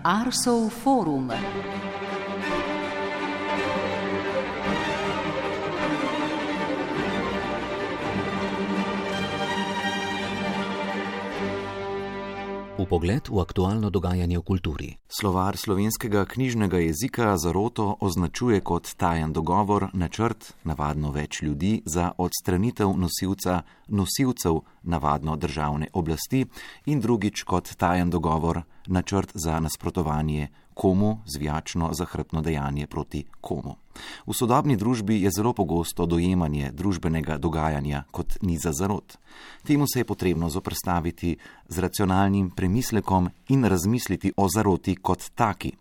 Arsov forum. Vpogled v aktualno dogajanje v kulturi. Slovar slovenskega knjižnega jezika zaroto označuje kot tajen dogovor, načrt, navadno več ljudi, za odstranitev nosilcev navadno državne oblasti in drugič kot tajen dogovor, načrt za nasprotovanje komu, zvijačno zahrbtno dejanje proti komu. V sodobni družbi je zelo pogosto dojemanje družbenega dogajanja kot niza zarot. Temu se je potrebno zoperstaviti z racionalnim premislekom in razmisliti o zaroti kot taki.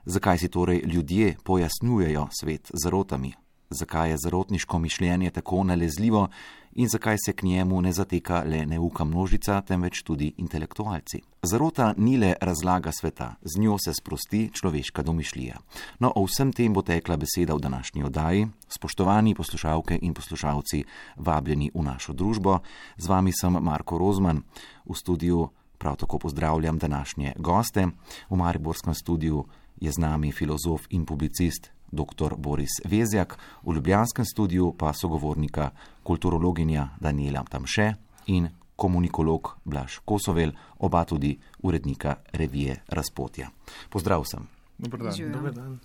Zakaj si torej ljudje pojasnjujejo svet z zarotami? Zakaj je zarotniško mišljenje tako nalezljivo in zakaj se k njemu ne zateka le neuka množica, temveč tudi intelektualci? Zarota ni le razlaga sveta, z njo se sprosti človeška domišljija. No, o vsem tem bo tekla beseda v današnji oddaji. Spoštovani poslušalke in poslušalci, vabljeni v našo družbo. Z vami sem Marko Rozman. V studiu prav tako pozdravljam današnje goste. V mariborskem studiu je z nami filozof in publicist dr. Boris Vezjak, v ljubljanskem studiu pa sogovornika kulturologinja Danijela Tamše in komunikolog Blaž Kosovel, oba tudi urednika revije Razpotja. Pozdrav sem. Dober dan.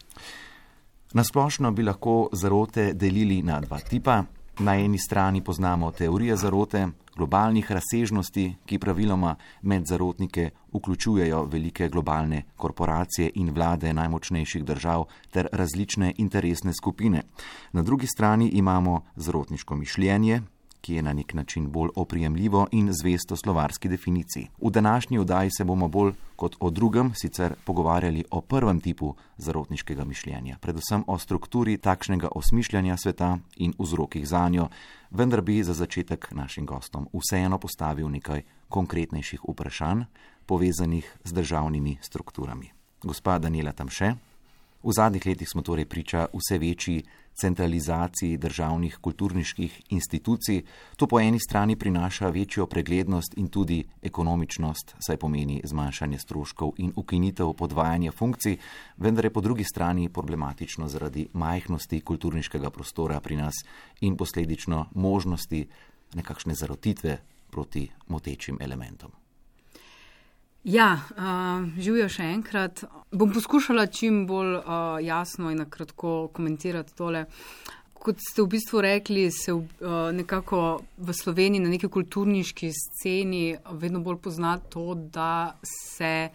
Na splošno bi lahko zarote delili na dva tipa. Na eni strani poznamo teorije zarote, globalnih razsežnosti, ki praviloma med zarotnike vključujejo velike globalne korporacije in vlade najmočnejših držav ter različne interesne skupine. Na drugi strani imamo zarotniško mišljenje, ki je na nek način bolj oprijemljivo in zvesto slovarski definiciji. V današnji oddaji se bomo bolj kot o drugem sicer pogovarjali o prvem tipu zarotniškega mišljenja, predvsem o strukturi takšnega osmišljanja sveta in vzrokih zanjo, vendar bi za začetek našim gostom vseeno postavil nekaj konkretnejših vprašanj, povezanih z državnimi strukturami. Gospa Danijela Tamše, v zadnjih letih smo torej priča vse večji centralizaciji državnih kulturniških institucij. To po eni strani prinaša večjo preglednost in tudi ekonomičnost, saj pomeni zmanjšanje stroškov in ukinitev podvajanja funkcij, vendar je po drugi strani problematično zaradi majhnosti kulturniškega prostora pri nas in posledično možnosti nekakšne zarotitve proti motečim elementom. Ja, živijo še enkrat. Bom poskušala čim bolj jasno in nakratko komentirati tole. Kot ste v bistvu rekli, se nekako v Sloveniji na neki kulturniški sceni vedno bolj pozna to, da se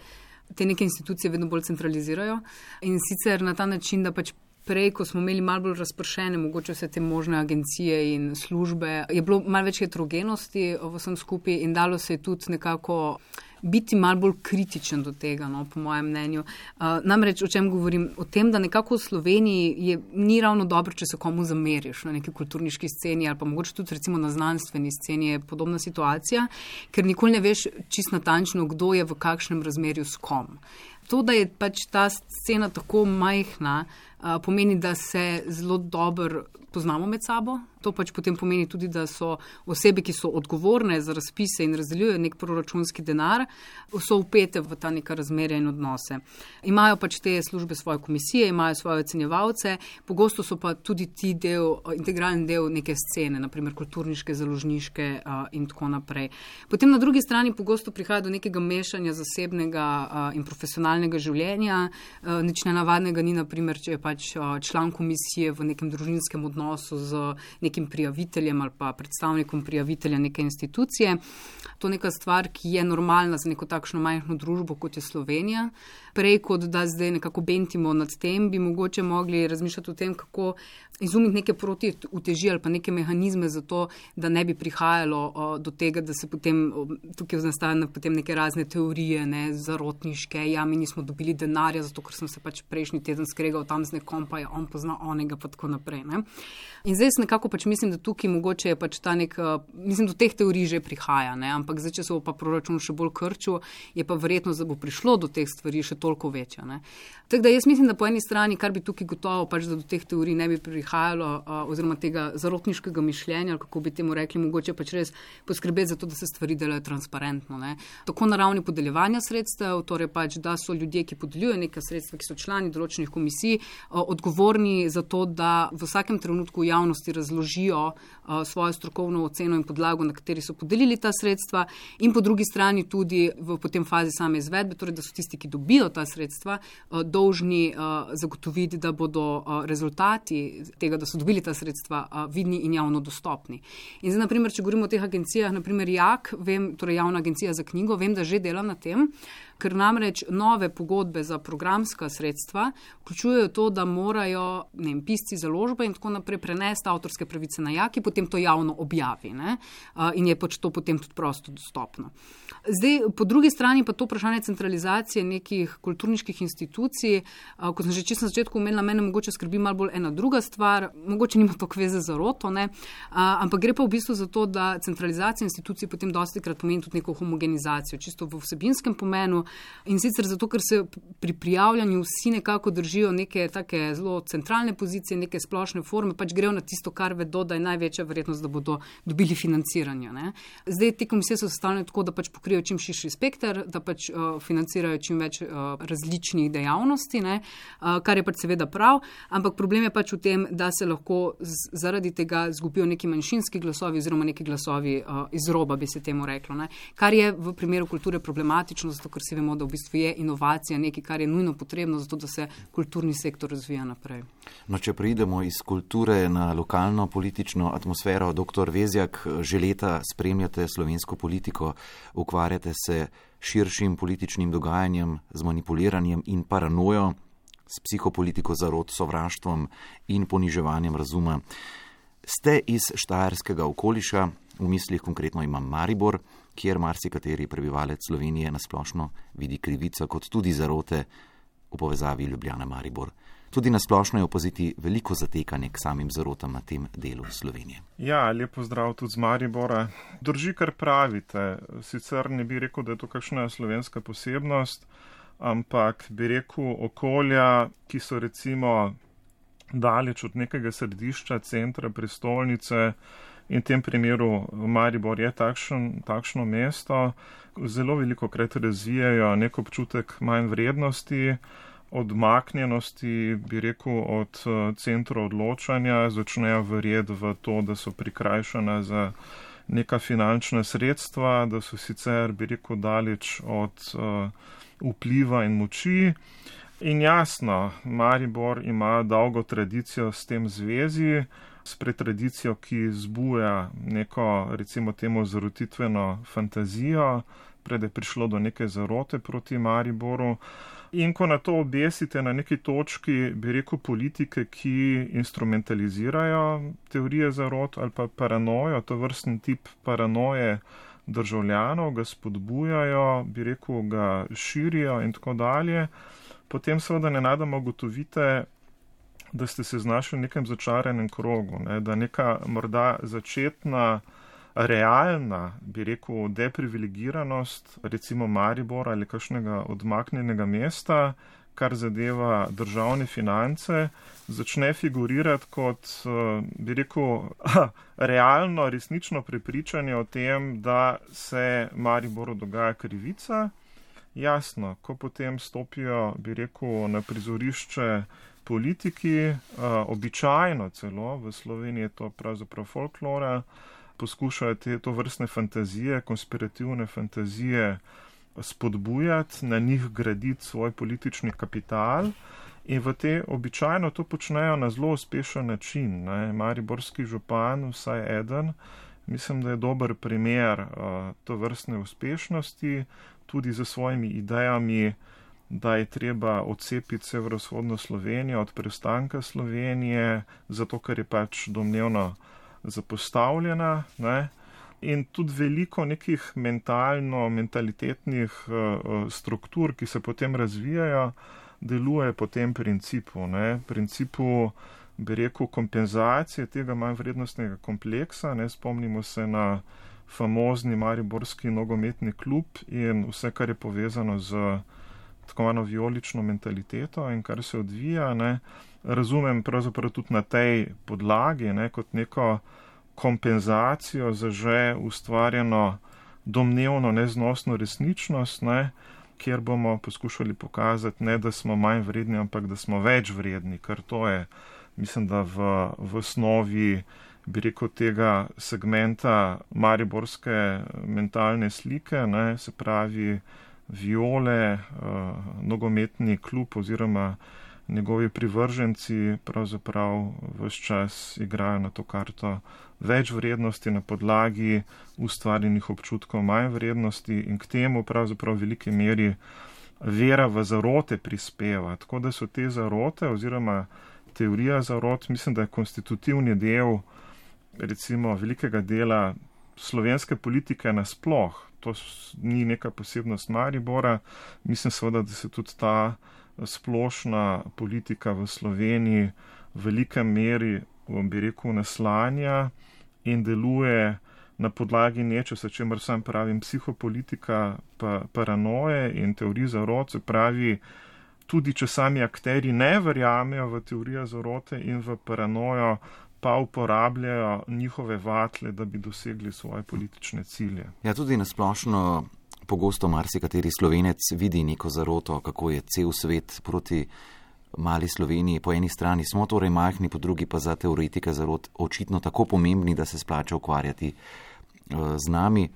te neke institucije vedno bolj centralizirajo. In sicer na ta način, da pač prej, ko smo imeli malo bolj razpršene, mogoče vse te možne agencije in službe, je bilo malo več heterogenosti v vsem skupaj in dalo se je tudi nekako biti malo bolj kritičen do tega, no, po mojem mnenju. Namreč, o čem govorim? O tem, da nekako v Sloveniji ni ravno dobro, če se komu zameriš na neki kulturniški sceni ali pa mogoče tudi recimo na znanstveni sceni je podobna situacija, ker nikoli ne veš čisto natančno, kdo je v kakšnem razmerju s kom. To, da je pač ta scena tako majhna, pomeni, da se zelo dobro poznamo med sabo. To pač potem pomeni tudi, da so osebe, ki so odgovorne za razpise in razdeljujejo nek proračunski denar, so vpete v ta neka razmerja in odnose. Imajo pač te službe svoje komisije, imajo svoje ocenjevalce, pogosto so pa tudi ti integralni del neke scene, naprimer kulturniške, založniške in tako naprej. Potem na drugi strani pogosto prihaja do nekega mešanja zasebnega in profesionalnega življenja. Nič nenavadnega ni, naprimer, če je pač član komisije v nekem družinskem odnosu z nekim prijaviteljem ali pa predstavnikom prijavitelja neke institucije. To je neka stvar, ki je normalna za neko takšno majhno družbo, kot je Slovenija. Prej, kot da zdaj nekako bentimo nad tem, bi mogoče mogli razmišljati o tem, kako izumiti neke protiuteži ali pa neke mehanizme za to, da ne bi prihajalo do tega, da se potem tukaj nastajajo potem neke razne teorije, zarotniške, mi nismo dobili denarja, zato ker sem se pač prejšnji teden skregal tam z nekom, pa je on pozna onega, pa tako naprej. In zdaj nekako pač mislim, da tukaj mogoče je pač ta mislim, do teh teorij že prihaja, ampak zdaj, če se bo pa proračun še bolj krčil, je pa verjetnost, da bo prišlo do teh stvari še toliko večja. Tako da jaz mislim, da po eni strani, kar bi tukaj gotovo pač, da do teh teorij ne bi prihajalo, oziroma tega zarotniškega mišljenja, ali kako bi temu rekli, mogoče pač res poskrbeti za to, da se stvari delajo transparentno. Tako na ravni podeljevanja sredstev, torej pač, da so ljudje, ki podeljujejo neka sredstva, ki so člani določenih komisij, odgovorni za to, da v vsakem trenutku v javnosti razložijo svojo strokovno oceno in podlago, na kateri so podelili ta sredstva, in po drugi strani tudi v potem fazi same izvedbe, torej da so tisti, ki dobijo ta sredstva, dolžni zagotoviti, da bodo rezultati tega, da so dobili ta sredstva, vidni in javno dostopni. In zdaj, naprimer, če govorimo o teh agencijah, naprimer JAK, torej Javna agencija za knjigo, vem, da že dela na tem, ker namreč nove pogodbe za programska sredstva vključujejo to, da morajo pisci, založbe in tako naprej prenesti avtorske pravice na JAK, ki potem to javno objavi, ne? In je pač to potem tudi prosto dostopno. Zdaj, po drugi strani pa to vprašanje centralizacije nekih kulturniških institucij, kot sem že čisto na začetku omenila, mene mogoče skrbi malo bolj ena druga stvar, mogoče nima toliko veze z zaroto, ne? Ampak gre pa v bistvu za to, da centralizacija institucij potem dostikrat pomeni tudi neko homogenizacijo, čisto v vsebinskem pomenu. In sicer zato, ker se pri prijavljanju vsi nekako držijo neke take zelo centralne pozicije, neke splošne forme, pač grejo na tisto, kar vedo, da je največja verjetnost, da bodo dobili financiranje, ne. Zdaj, te komisije so sestavljene tako, da pač pokrijejo čim širši spekter, da pač financirajo čim več različnih dejavnosti, ne, kar je pač seveda prav, ampak problem je pač v tem, da se lahko zaradi tega zgubijo neki manjšinski glasovi oziroma neki glasovi iz roba, bi se temu reklo, ne, kar je v primeru kulture problematično, zato ker vemo, da v bistvu je inovacija nekaj, kar je nujno potrebno, zato da se kulturni sektor razvija naprej. No, če preidemo iz kulture na lokalno politično atmosfero, dr. Vezjak, že leta spremljate slovensko politiko, ukvarjate se širšim političnim dogajanjem, z manipuliranjem in paranojo, s psihopolitiko zarot, sovraštvom in poniževanjem razuma. Ste iz štajerskega okoliša, v mislih konkretno imam Maribor, kjer marsikateri prebivalec Slovenije nasplošno vidi krivico kot tudi zarote v povezavi Ljubljana-Maribor. Tudi nasplošno je opaziti veliko zatekanje k samim zarotam na tem delu Slovenije. Ja, lepo zdrav tudi z Maribora. Drži, kar pravite. Sicer ne bi rekel, da je to kakšna slovenska posebnost, ampak bi rekel okolja, ki so recimo daleč od nekega središča, centra, prestolnice, in v tem primeru Maribor je takšno mesto, zelo velikokrat razvijajo nek občutek manj vrednosti, odmaknjenosti, bi rekel, od centra odločanja, začnejo verjeti v to, da so prikrajšana za neka finančna sredstva, da so sicer, bi rekel, daleč od vpliva in moči. In jasno, Maribor ima dolgo tradicijo s tem zvezi, spred tradicijo, ki zbuja neko, recimo temu, zarotitveno fantazijo, pred je prišlo do neke zarote proti Mariboru. In ko na to obesite na neki točki, bi rekel, politike, ki instrumentalizirajo teorije zarot ali pa paranojo, to vrstni tip paranoje državljanov, ga spodbujajo, bi rekel, ga širijo in tako dalje, potem seveda nenadoma ugotovite, da ste se znašli v nekem začaranem krogu, ne, da neka morda začetna, realna, bi rekel, deprivilegiranost, recimo Maribora ali kakšnega odmaknjenega mesta, kar zadeva državne finance, začne figurirati kot, bi rekel, realno, resnično prepričanje o tem, da se Mariboru dogaja krivica. Jasno, ko potem stopijo, bi rekel, na prizorišče politiki, običajno celo, v Sloveniji je to pravzaprav folklora, poskušajo to vrstne fantazije, konspirativne fantazije spodbujati, na njih graditi svoj politični kapital in v te običajno to počnejo na zelo uspešen način. Ne. Mariborski župan, vsaj eden, mislim, da je dober primer to vrstne uspešnosti, tudi za svojimi idejami, da je treba odcepiti severovzhodno Slovenijo od preostanka Slovenije, zato ker je pač domnevno zapostavljena, ne? In tudi veliko nekih mentalitetnih struktur, ki se potem razvijajo, deluje po tem principu, ne? Principu, bi rekel, kompenzacije tega manj vrednostnega kompleksa, ne? Spomnimo se na famozni mariborski nogometni klub in vse, kar je povezano z tako imenovano vijolično mentaliteto in kar se odvija, ne? Razumem pravzaprav tudi na tej podlagi, ne, kot neko kompenzacijo za že ustvarjeno domnevno neznosno resničnost, ne, kjer bomo poskušali pokazati ne, da smo manj vredni, ampak da smo več vredni, ker to je, mislim, da v osnovi, bi rekel, tega segmenta mariborske mentalne slike, ne, se pravi Viole, nogometni klub oziroma njegovi privrženci pravzaprav vse čas igrajo na to karto več vrednosti na podlagi ustvarjenih občutkov manj vrednosti in k temu pravzaprav v veliki meri vera v zarote prispeva. Tako da so te zarote oziroma teorija zarot, mislim, da je konstitutivni del recimo velikega dela slovenske politike nasploh. To ni neka posebnost Maribora. Mislim seveda, da se tudi ta splošna politika v Sloveniji v velikem meri, bi rekel, naslanja in deluje na podlagi nečesa, čemer sam pravim psihopolitika, paranoje in teorij zarot, se pravi, tudi če sami akteri ne verjamejo v teorijo zarote in v paranojo, pa uporabljajo njihove vatle, da bi dosegli svoje politične cilje. Ja, tudi nasplošno pogosto marsikateri Slovenec vidi neko zaroto, kako je cel svet proti mali Sloveniji. Po eni strani smo torej majhni, po drugi pa za teoretike zarot očitno tako pomembni, da se splača ukvarjati z nami.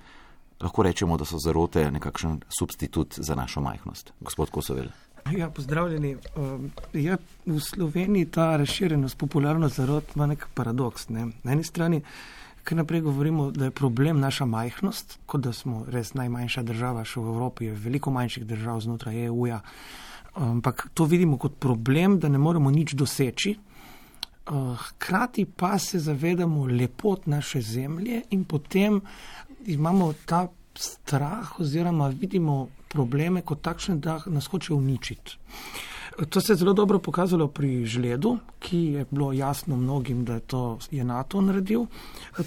Lahko rečemo, da so zarote nekakšen substitut za našo majhnost. Gospod Kosovel. Ja, pozdravljeni. Ja, v Sloveniji ta razširjenost, popularnost zarot ima nek paradoks. Ne? Na eni strani, kar naprej govorimo, da je problem naša majhnost, kot da smo res najmanjša država, še v Evropi je veliko manjših držav znotraj EU-ja, ampak to vidimo kot problem, da ne moremo nič doseči. Hkrati pa se zavedamo lepot naše zemlje in potem imamo ta strah oziroma vidimo probleme kot takšne, da nas hoče uničiti. To se je zelo dobro pokazalo pri žledu, ki je bilo jasno mnogim, da je NATO naredil.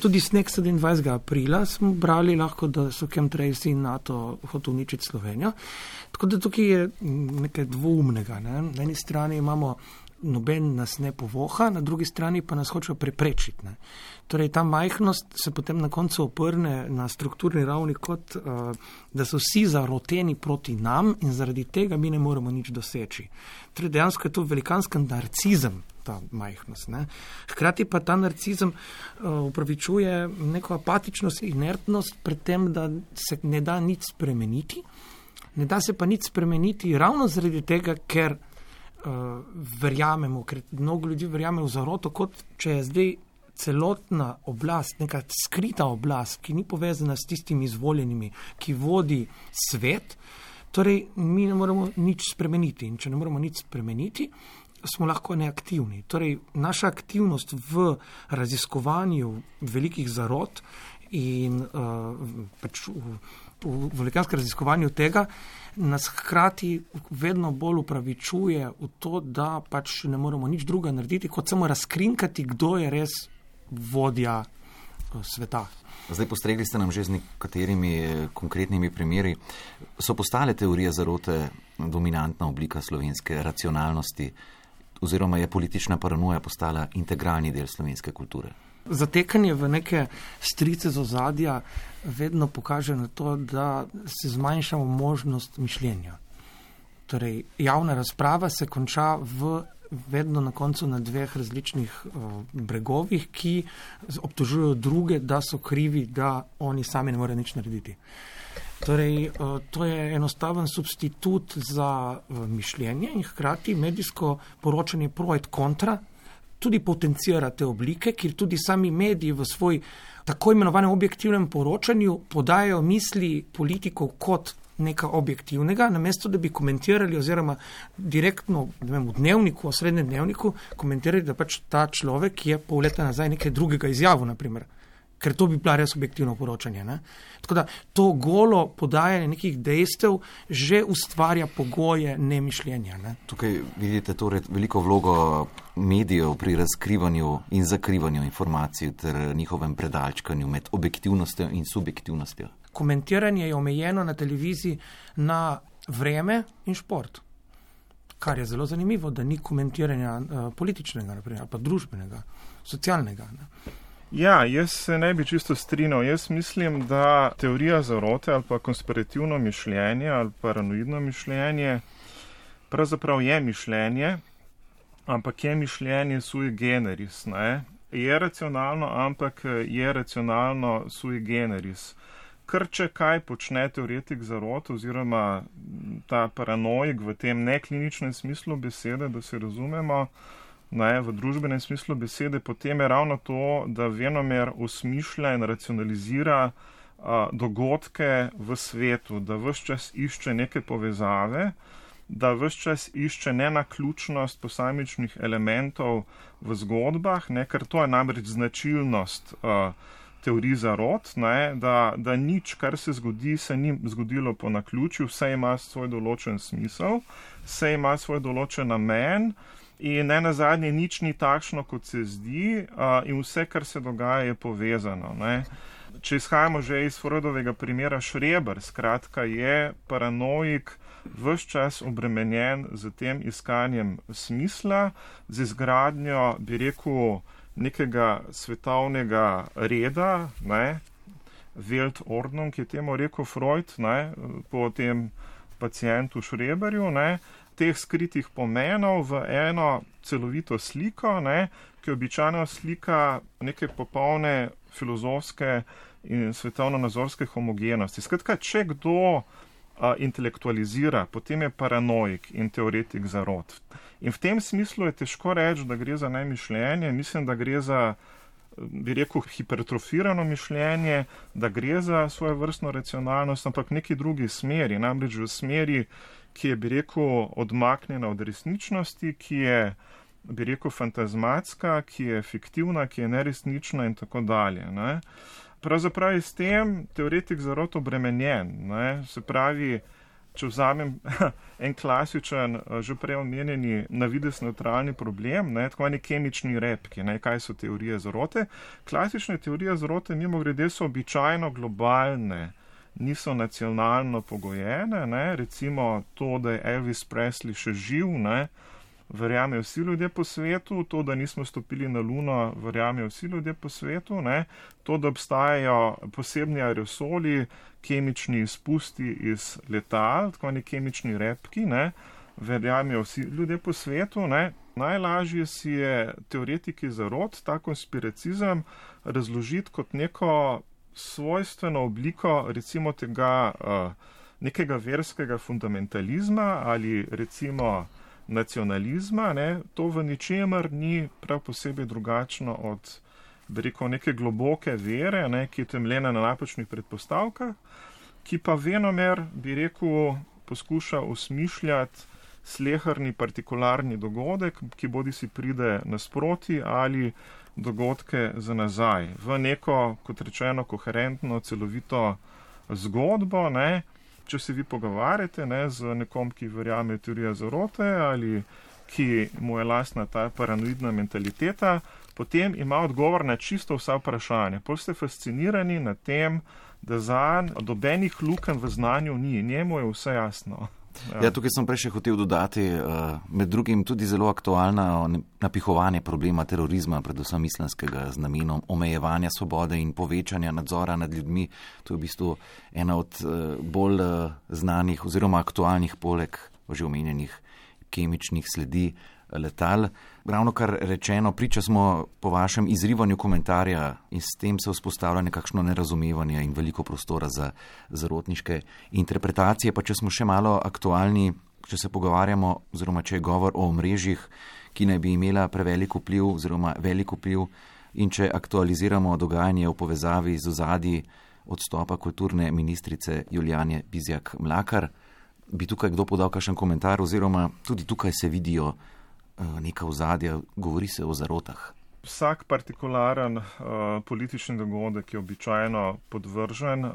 Tudi sneg 27. aprila smo brali lahko, da so chemtrails in NATO hotel uničiti Slovenijo. Tako da tukaj je nekaj dvoumnega. Ne? Na eni strani imamo noben nas ne povoha, na drugi strani pa nas hočejo preprečiti. Ne? Torej, ta majhnost se potem na koncu oprne na strukturni ravni kot, da so vsi zaroteni proti nam in zaradi tega mi ne moremo nič doseči. Torej, dejansko je to velikanski narcizem, ta majhnost. Ne? Hkrati pa ta narcizem upravičuje neko apatičnost, inertnost pred tem, da se ne da nič spremeniti. Ne da se pa nič spremeniti ravno zaradi tega, ker verjamemo, ker mnogo ljudi verjame v zaroto, kot če je zdaj celotna oblast, neka skrita oblast, ki ni povezana s tistimi izvoljenimi, ki vodi svet, torej mi ne moremo nič spremeniti. In če ne moremo nič spremeniti, smo lahko neaktivni. Torej, naša aktivnost v raziskovanju velikih zarot in pač v velikanskem raziskovanju tega nas hkrati vedno bolj upravičuje v to, da pač ne moremo nič druga narediti, kot samo razkrinkati, kdo je res vodja sveta. Zdaj postregli ste nam že z nekaterimi konkretnimi primeri. So postale teorije zarote dominantna oblika slovenske racionalnosti oziroma je politična paranoja postala integralni del slovenske kulture? Zatekanje v neke strice z ozadja vedno pokaže na to, da se zmanjšamo možnost mišljenja. Torej, javna razprava se konča vedno na koncu na dveh različnih bregovih, ki obtožujejo druge, da so krivi, da oni sami ne morejo nič narediti. Torej, to je enostaven substitut za mišljenje in hkrati medijsko poročanje pro et kontra tudi potencira te oblike, kjer tudi sami mediji v svoj tako imenovanem objektivnem poročanju podajajo misli politikov kot nekaj objektivnega, namesto da bi komentirali oziroma direktno v dnevniku, v srednjem dnevniku, komentirali, da pač ta človek je pol leta nazaj nekaj drugega izjavil, naprimer. Ker to bi bila res objektivno poročanje. Ne? Tako da to golo podajanje nekih dejstev že ustvarja pogoje nemišljenja. Ne? Tukaj vidite torej veliko vlogo medijev pri razkrivanju in zakrivanju informacij ter njihovem predalčkanju med objektivnostjo in subjektivnostjo. Komentiranje je omejeno na televiziji na vreme in šport. Kar je zelo zanimivo, da ni komentiranja političnega, naprimer, pa družbenega, socialnega. Ne? Ja, jaz se ne bi čisto strinjal. Jaz mislim, da teorija zarote ali pa konspirativno mišljenje ali paranoidno mišljenje pravzaprav je mišljenje, ampak je mišljenje sui generis, ne? Je racionalno, ampak je racionalno sui generis. Ker če kaj počne teoretik zarote oziroma ta paranoik v tem nekliničnem smislu besede, da se razumemo, ne, v družbenem smislu besede, potem je ravno to, da venomer osmišlja in racionalizira dogodke v svetu, da ves čas išče neke povezave, da ves čas išče nenaključnost posamičnih elementov v zgodbah, ne, ker to je namreč značilnost teorij zarot, ne, da nič, kar se zgodi, se ni zgodilo po naključju, vse ima svoj določen smisel, vse ima svoj določen namen in ne nazadnje nič ni takšno, kot se zdi in vse, kar se dogaja, je povezano. Ne. Če izhajamo že iz Freudovega primera Schreber, skratka je paranoik ves čas obremenjen z tem iskanjem smisla, z izgradnjo, bi rekel, nekega svetovnega reda, ne, Weltordnung, ki je temu rekel Freud, ne, po tem pacientu Schreberju, ne, teh skritih pomenov v eno celovito sliko, ne, ki običajno slika neke popolne filozofske in svetovno-nazorske homogenosti. Skratka, če kdo intelektualizira, potem je paranoik in teoretik zarot. In v tem smislu je težko reči, da gre za nemišljenje. Mislim, da gre za, bi rekel, hipertrofirano mišljenje, da gre za svojevrstno racionalnost, ampak v neki drugi smeri, namreč v smeri, ki je, bi rekel, odmaknjena od resničnosti, ki je, bi rekel, fantazmatska, ki je fiktivna, ki je neresnična in tako dalje. Ne? Pravzaprav je s tem teoretik zarot obremenjen. Ne? Se pravi, če vzamem en klasičen, že prej omenjeni navidez neutralni problem, ne? Tako eni kemični repki, ne? Kaj so teorije zarote. Klasične teorije zarote mimogrede so običajno globalne, niso nacionalno pogojene, ne? Recimo to, da je Elvis Presley še živ, ne? Verjamejo vsi ljudje po svetu, to, da nismo stopili na Luno, verjamejo vsi ljudje po svetu, ne? To, da obstajajo posebni aerosoli, kemični izpusti iz letal, tako neki kemični repki, ne? Verjamejo vsi ljudje po svetu, ne? Najlažje si je teoretiki zarot, ta konspiracizem, razložiti kot neko svojstveno obliko, recimo tega nekega verskega fundamentalizma ali recimo nacionalizma, ne, to v ničemer ni prav posebej drugačno od, bi rekel, neke globoke vere, ne, ki je temeljena na napačnih predpostavkah, ki pa venomer, bi rekel, poskuša osmišljati sleherni partikularni dogodek, ki bodi si pride nasproti ali dogodke za nazaj v neko, kot rečeno, koherentno, celovito zgodbo, ne. Če se vi pogovarjate, ne, z nekom, ki verjame teorija zarote ali ki mu je lastna ta paranoidna mentaliteta, potem ima odgovor na čisto vsa vprašanja. Pol ste fascinirani nad tem, da zanj dobenih lukenj v znanju ni. Njemu je vse jasno. Ja, tukaj sem prej še hotel dodati, med drugim tudi zelo aktualno napihovanje problema terorizma, predvsem islamskega, z namenom omejevanja svobode in povečanja nadzora nad ljudmi. To je v bistvu ena od bolj znanih oziroma aktualnih poleg že omenjenih kemičnih sledi letal. Ravno kar rečeno, priča smo po vašem izrivanju komentarja in s tem se vzpostavlja nekakšno nerazumevanje in veliko prostora za zarotniške interpretacije. Pa če smo še malo aktualni, če se pogovarjamo oziroma če je govor o omrežjih, ki naj bi imela prevelik vpliv oziroma velik vpliv in če aktualiziramo dogajanje v povezavi z ozadji odstopa kulturne ministrice Julijane Bizjak-Mlakar, bi tukaj kdo podal kakšen komentar oziroma tudi tukaj se vidijo neka ozadja, govori se o zarotah. Vsak partikularen politični dogodek je običajno podvržen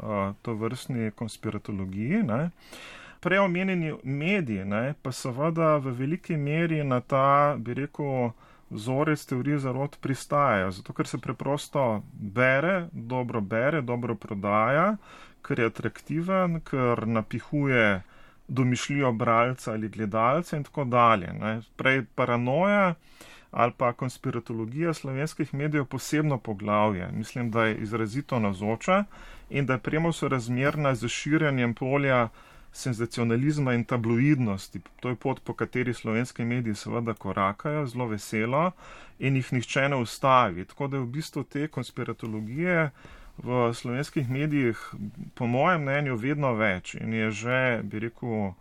tovrstni konspiratologiji. Ne. Prej omenjeni mediji, ne, pa seveda v veliki meri na ta, bi rekel, vzorec teorije zarot pristajajo, zato ker se preprosto bere, dobro prodaja, ker je atraktiven, ker napihuje domišljijo bralca ali gledalca in tako dalje. Ne. Prej paranoja ali pa konspiratologija slovenskih medijev posebno poglavje. Mislim, da je izrazito navzoča in da je premo sorazmerna z širjenjem polja senzacionalizma in tabloidnosti. To je pot, po kateri slovenski mediji seveda korakajo, zelo veselo in jih nihče ne ustavi. Tako da je v bistvu te konspiratologije v slovenskih medijih po mojem mnenju vedno več in je že, bi rekel,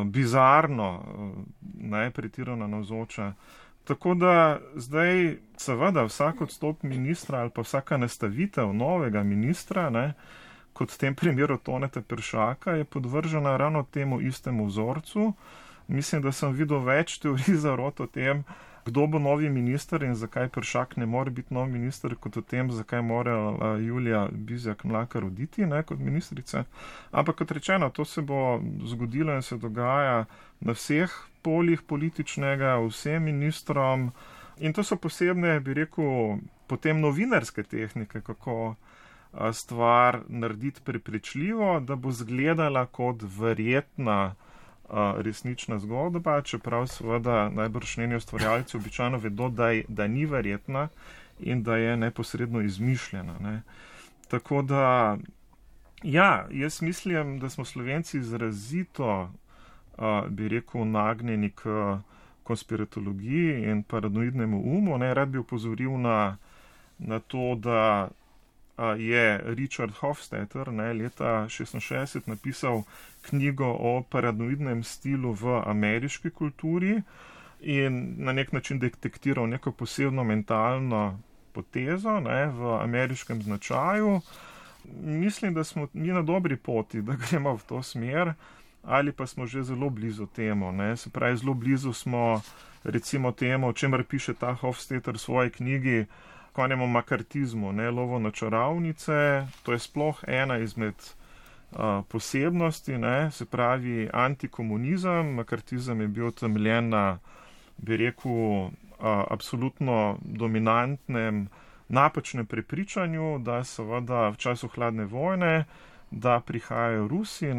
bizarno, pretirano navzoča. Tako da zdaj seveda vsak odstop ministra ali pa vsaka nastavitev novega ministra, kot v tem primeru Toneta Peršaka, je podvržena ravno temu istemu vzorcu. Mislim, da sem videl več teorij zarot o tem, kdo bo novi minister in zakaj Peršak ne more biti nov minister, kot o tem, zakaj mora Julija Bizjak Mlakar oditi kot ministrica. Ampak kot rečeno, to se bo zgodilo in se dogaja na vseh poljih političnega, vsem ministrom. In to so posebne, bi rekel, potem novinarske tehnike, kako stvar narediti prepričljivo, da bo zgledala kot verjetna resnična zgodba, čeprav seveda najbrž njeni ustvarjalci običajno vedo, da ni verjetna in da je neposredno izmišljena. Tako da, jaz mislim, da smo Slovenci izrazito, bi rekel, nagnjeni k konspiratologiji in paranoidnemu umu. Rad bi opozoril na to, da je Richard Hofstadter leta 1966 napisal knjigo o paranoidnem stilu v ameriški kulturi in na nek način detektiral neko posebno mentalno potezo v ameriškem značaju. Mislim, da smo mi na dobri poti, da gremo v to smer, ali pa smo že zelo blizu temu. Se pravi, zelo blizu smo recimo temu, o čemer piše ta Hofstadter v svoji knjigi, konjemu makartizmu, lovo na čarovnice. To je sploh ena izmed posebnosti, se pravi antikomunizem. Makartizem je bil temeljen na, bi rekel, absolutno dominantnem napačnem prepričanju, da seveda v času hladne vojne, da prihajajo Rusi,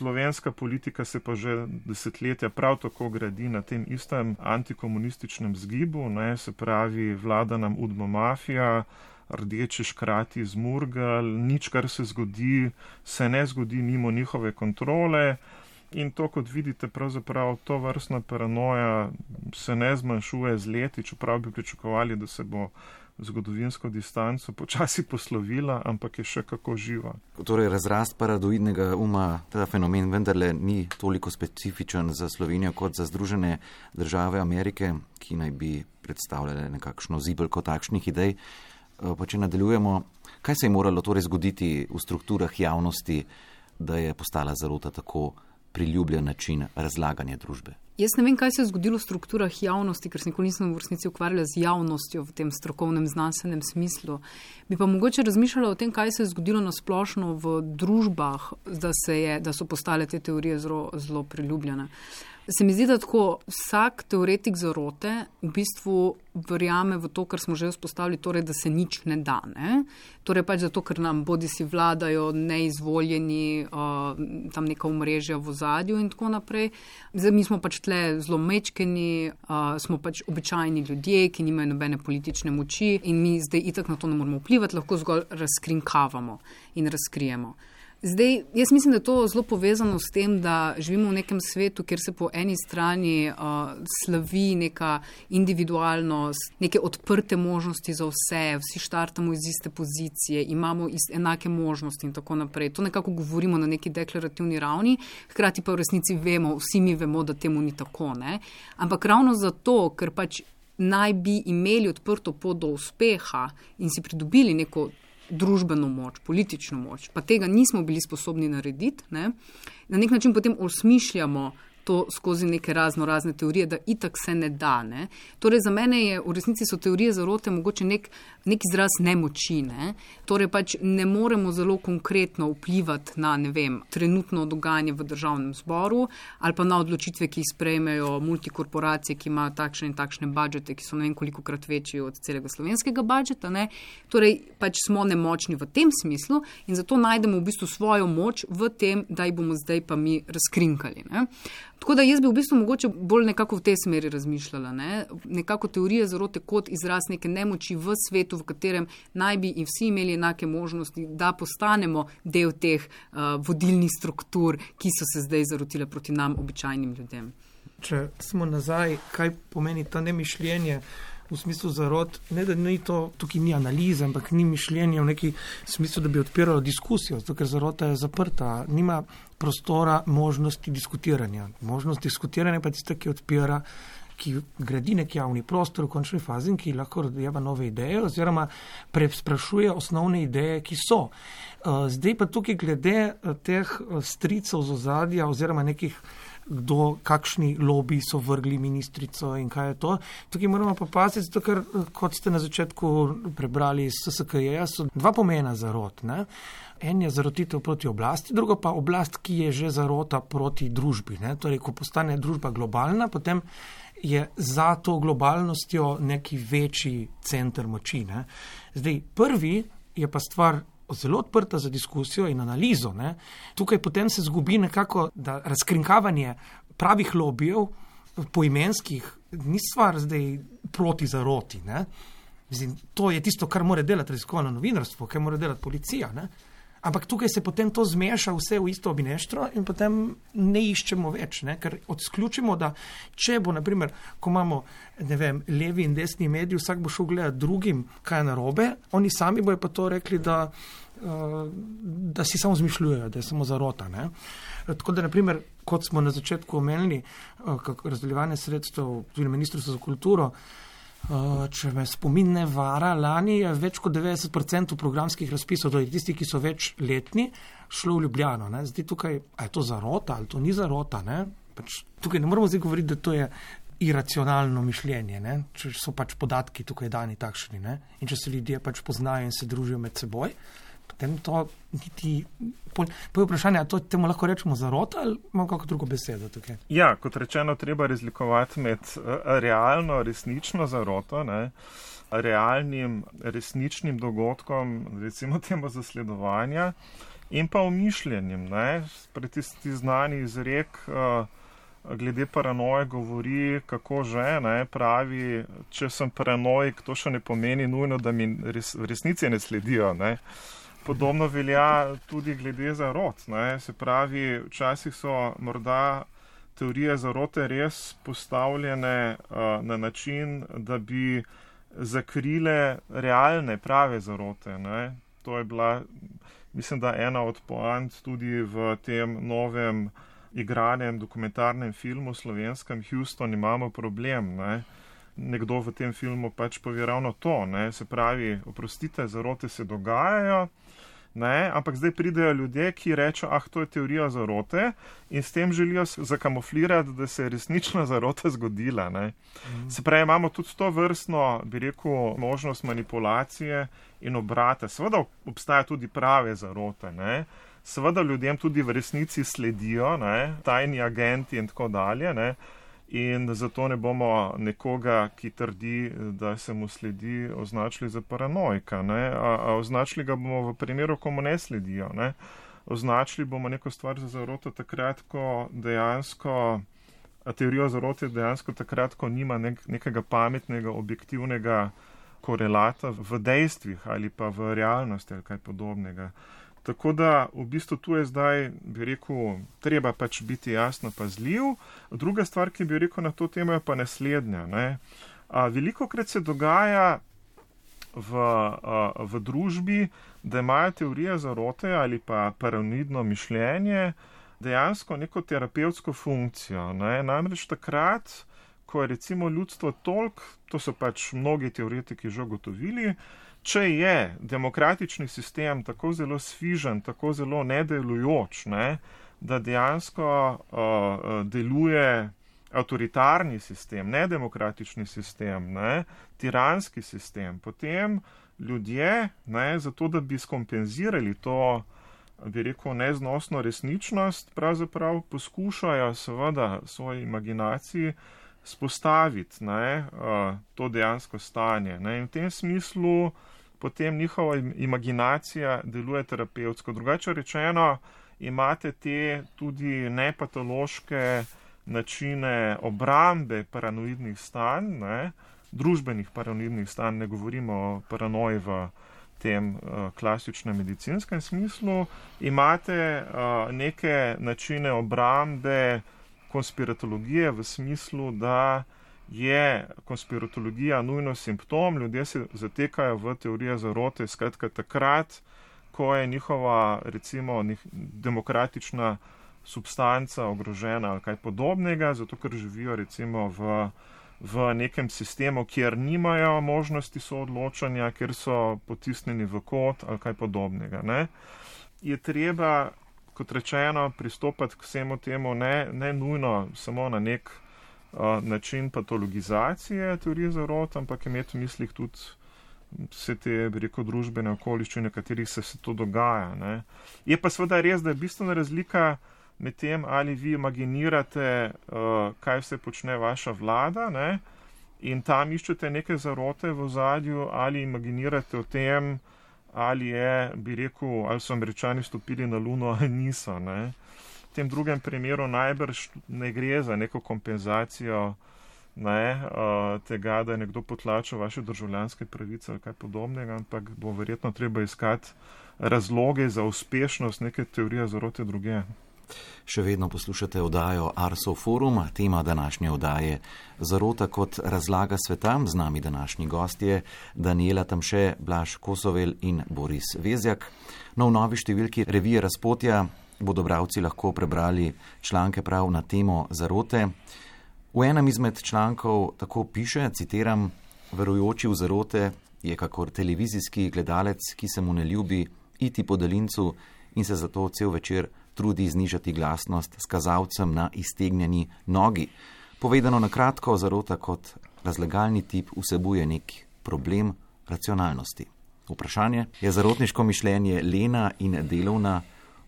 Slovenska politika se pa že desetletja prav tako gradi na tem istem antikomunističnem zgibu, se pravi, vlada nam udbomafija, rdeči škrati z Murgel, nič, kar se zgodi, se ne zgodi mimo njihove kontrole. In to, kot vidite, pravzaprav to vrstna paranoja se ne zmanjšuje z leti, čeprav bi pričakovali, da se bo zgodovinsko distanco počasi poslovila, ampak je še kako živa. Torej, razrast paranoidnega uma, ta fenomen vendarle ni toliko specifičen za Slovenijo kot za Združene države Amerike, ki naj bi predstavljale nekakšno zibelko takšnih idej. Pa če nadaljujemo, kaj se je moralo torej zgoditi v strukturah javnosti, da je postala zarota tako priljubljen način razlaganja družbe? Jaz ne vem, kaj se je zgodilo v strukturah javnosti, ker se nikoli nisem v resnici ukvarjala z javnostjo v tem strokovnem, znanstvenem smislu. Bi pa mogoče razmišljala o tem, kaj se je zgodilo na splošno v družbah, da so postale te teorije zelo priljubljene. Se mi zdi, da tako vsak teoretik zarote v bistvu verjame v to, kar smo že vzpostavili, torej, da se nič ne da. Torej pač zato, ker nam bodisi vladajo neizvoljeni, tam neka omrežja v ozadju in tako naprej. Zdaj mi smo pač tle zelo mečkeni, smo pač običajni ljudje, ki nimajo nobene politične moči in mi zdaj itak na to ne moramo vplivati, lahko zgolj razkrinkavamo in razkrijemo. Zdaj, jaz mislim, da je to zelo povezano s tem, da živimo v nekem svetu, kjer se po eni strani slavi neka individualnost, neke odprte možnosti za vsi štartamo iz iste pozicije, imamo enake možnosti in tako naprej. To nekako govorimo na neki deklarativni ravni, hkrati pa v resnici vsi mi vemo, da temu ni tako. Ampak ravno zato, ker pač naj bi imeli odprto pot do uspeha in si pridobili neko družbeno moč, politično moč, pa tega nismo bili sposobni narediti, na nek način potem osmišljamo to skozi neke razne teorije, da itak se ne da. Torej za mene je v resnici so teorije zarote mogoče nek izraz nemoči. Torej pač ne moremo zelo konkretno vplivati na, trenutno dogajanje v državnem zboru ali pa na odločitve, ki jih sprejmejo multikorporacije, ki imajo takšne in takšne budžete, ki so ne vem kolikokrat večji od celega slovenskega budžeta. Torej pač smo nemočni v tem smislu in zato najdemo v bistvu svojo moč v tem, da jih bomo zdaj pa mi razkrinkali. Tako da jaz bi v bistvu mogoče bolj nekako v tej smeri razmišljala. Nekako teorija zarote kot izraz neke nemoči v svetu, v katerem naj bi in vsi imeli enake možnosti, da postanemo del teh vodilnih struktur, ki so se zdaj zarotile proti nam, običajnim ljudem. Če smo nazaj, kaj pomeni ta nemišljenje v smislu zarot, ne da ni to, tukaj ni analize, ampak ni mišljenje v neki smislu, da bi odpiralo diskusijo, zato ker zarota je zaprta, nima prostora možnosti diskutiranja. Možnost diskutiranja pa je tista, ki odpira, ki gradi nek javni prostor v končni fazi in ki lahko rodeva nove ideje oziroma sprašuje osnovne ideje, ki so. Zdaj pa tukaj glede teh stricev z ozadja oziroma nekih kakšni lobiji so vrgli ministrico in kaj je to. Tukaj moramo pa paziti, zato ker, kot ste na začetku prebrali iz SSKJ, so dva pomena zarot. En je zarotitev proti oblasti, drugo pa oblast, ki je že zarota proti družbi. Torej, ko postane družba globalna, potem je za to globalnostjo neki večji center moči. Zdaj, prvi je pa stvar zelo odprta za diskusijo in analizo. Tukaj potem se zgubi nekako, da razkrinkavanje pravih lobijev poimenskih ni stvar zdaj proti zaroti. Mislim, to je tisto, kar mora delati raziskovalno novinarstvo, kar mora delati policija. Ampak tukaj se potem to zmeša vse v isto obineštro in potem ne iščemo več, ker odključimo, da če bo, naprimer, ko imamo, levi in desni mediji, vsak bo šel gledati drugim, kaj je narobe, oni sami bojo pa to rekli, da si samo zmišljujejo, da je samo zarota. Tako da, naprimer, kot smo na začetku omenili, razdeljevanje sredstev tudi Ministrstvo za kulturo, če me spomin ne vara, lani je več kot 90% programskih razpisov, torej tisti, ki so večletni, šlo v Ljubljano. Zdaj tukaj, a je to zarota ali to ni zarota? Tukaj ne moramo zdaj govoriti, da to je iracionalno mišljenje, če so pač podatki tukaj dani takšni. In če se ljudje pač poznajo in se družijo med seboj, potem to niti... Poje vprašanje, a to temu lahko rečemo zarota ali imamo kako drugo besedo tukaj? Ja, kot rečeno, treba razlikovati med realno, resnično zaroto, realnim, resničnim dogodkom, recimo temu zasledovanja in pa umišljenjem. Tisti znani izrek glede paranoje govori, kako že, pravi, če sem paranoik, to še ne pomeni nujno, da mi v resnici ne sledijo. Podobno velja tudi glede zarot. Se pravi, včasih so morda teorije zarote res postavljene na način, da bi zakrile realne, prave zarote. To je bila, mislim, da ena od poant tudi v tem novem igranem dokumentarnem filmu slovenskem Houston imamo problem. Nekdo v tem filmu pač pove ravno to. Se pravi, oprostite, zarote se dogajajo, ampak zdaj pridejo ljudje, ki rečejo, to je teorija zarote in s tem želijo zakamuflirati, da se je resnična zarota zgodila. Se pravi, imamo tudi to vrstno, bi rekel, možnost manipulacije in obrate. Seveda obstaja tudi prave zarote. Seveda ljudem tudi v resnici sledijo, tajni agenti in tako dalje. In zato ne bomo nekoga, ki trdi, da se mu sledi, označili za paranoika. A označili ga bomo v primeru, ko mu ne sledijo. Označili bomo neko stvar za zaroto takrat, ko dejansko, teorijo zarote dejansko takrat, ko nima nekega pametnega, objektivnega korelata v dejstvih ali pa v realnosti ali kaj podobnega. Tako da v bistvu tu je zdaj, bi rekel, treba pač biti jasno pazljiv. Druga stvar, ki bi rekel na to temo, je pa naslednja. Velikokrat se dogaja v družbi, da imajo teorije zarote ali pa paranoidno mišljenje dejansko neko terapevtsko funkcijo. Namreč takrat, ko je recimo ljudstvo toliko, to so pač mnogi teoretiki že ugotovili, če je demokratični sistem tako zelo sfižen, tako zelo nedelujoč, da dejansko deluje avtoritarni sistem, nedemokratični sistem, tiranski sistem, potem ljudje, zato da bi skompenzirali to, bi rekel, neznosno resničnost, pravzaprav poskušajo seveda svoji imaginaciji spostaviti to dejansko stanje. In v tem smislu potem njihova imaginacija deluje terapevtsko. Drugače rečeno, imate te tudi nepatološke načine obrambe paranoidnih stanj, družbenih paranoidnih stanj, ne govorimo o paranoji v tem klasičnem medicinskem smislu, imate neke načine obrambe konspiratologije v smislu, da je konspiratologija nujno simptom, ljudje se zatekajo v teorije zarote, skratka takrat, ko je njihova, recimo, demokratična substanca ogrožena ali kaj podobnega, zato ker živijo recimo v nekem sistemu, kjer nimajo možnosti soodločanja, kjer so potisnjeni v kot ali kaj podobnega. Je treba, kot rečeno, pristopati k vsemu temu ne nujno samo na nek način patologizacije teorije zarot, ampak imeti v mislih tudi vse te, bi rekel, družbene okoliščine, v katerih se to dogaja. Je pa seveda res, da je bistvena razlika med tem, ali vi imaginirate, kaj vse počne vaša vlada, in tam iščete neke zarote v ozadju, ali imaginirate o tem, ali je, bi rekel, ali so Američani stopili na Luno ali niso. V tem drugem primeru najbrž ne gre za neko kompenzacijo tega, da je nekdo potlačil vaše državljanske pravice ali kaj podobnega, ampak bo verjetno treba iskati razloge za uspešnost neke teorije zarote druge. Še vedno poslušate oddajo Arso Forum, tema današnje oddaje Zarota kot razlaga sveta. Z nami današnji gostje Danijela Tamše, Blaž Kosovel in Boris Vezjak. V novi številki revije Razpotja bodo bralci lahko prebrali članke prav na temo zarote. V enem izmed člankov tako piše, citiram: verujoči v zarote je kakor televizijski gledalec, ki se mu ne ljubi iti po daljincu in se zato cel večer trudi znižati glasnost s kazalcem na iztegnjeni nogi. Povedano na kratko, zarota kot razlagalni tip vsebuje nek problem racionalnosti. Vprašanje: je zarotniško mišljenje lena in delovna,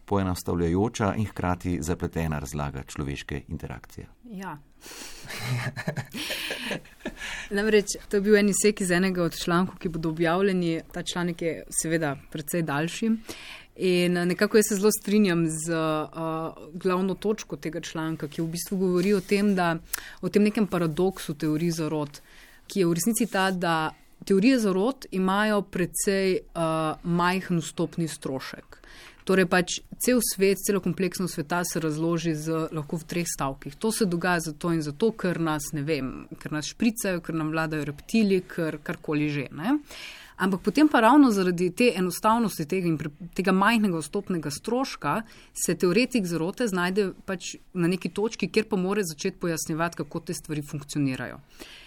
poenostavljajoča in hkrati zapletena razlaga človeške interakcije? Ja. Namreč, to je bil en izsek iz enega od člankov, ki bodo objavljeni. Ta članek je seveda precej daljši. In nekako jaz se zelo strinjam z glavno točko tega članka, ki v bistvu govori o tem, da o tem nekem paradoksu teorij zarot, ki je v resnici ta, da teorije zarot imajo precej majhen vstopni strošek. Torej pač cel svet, celo kompleksno sveta se razloži lahko v 3 stavkih. To se dogaja zato in zato, ker nas, ne vem, ker nas špricajo, ker nam vladajo reptili, ker karkoli že, Ampak potem pa ravno zaradi te enostavnosti tega in tega majhnega vstopnega stroška se teoretik zarote znajde pač na neki točki, kjer pa mora začeti pojasnjevati, kako te stvari funkcionirajo.